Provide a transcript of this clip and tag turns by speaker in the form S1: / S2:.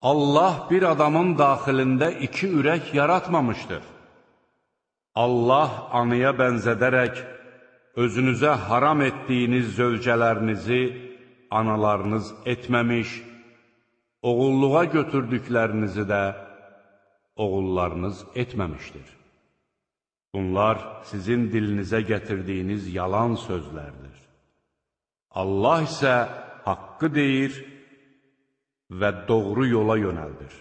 S1: Allah bir adamın daxilində iki ürək yaratmamışdır. Allah anıya bənzədərək, özünüzə haram etdiyiniz zövcələrinizi analarınız etməmiş, oğulluğa götürdüklərinizi də oğullarınız etməmişdir. Bunlar sizin dilinizə gətirdiyiniz yalan sözlərdir. Allah isə haqqı deyir və doğru yola yönəldir.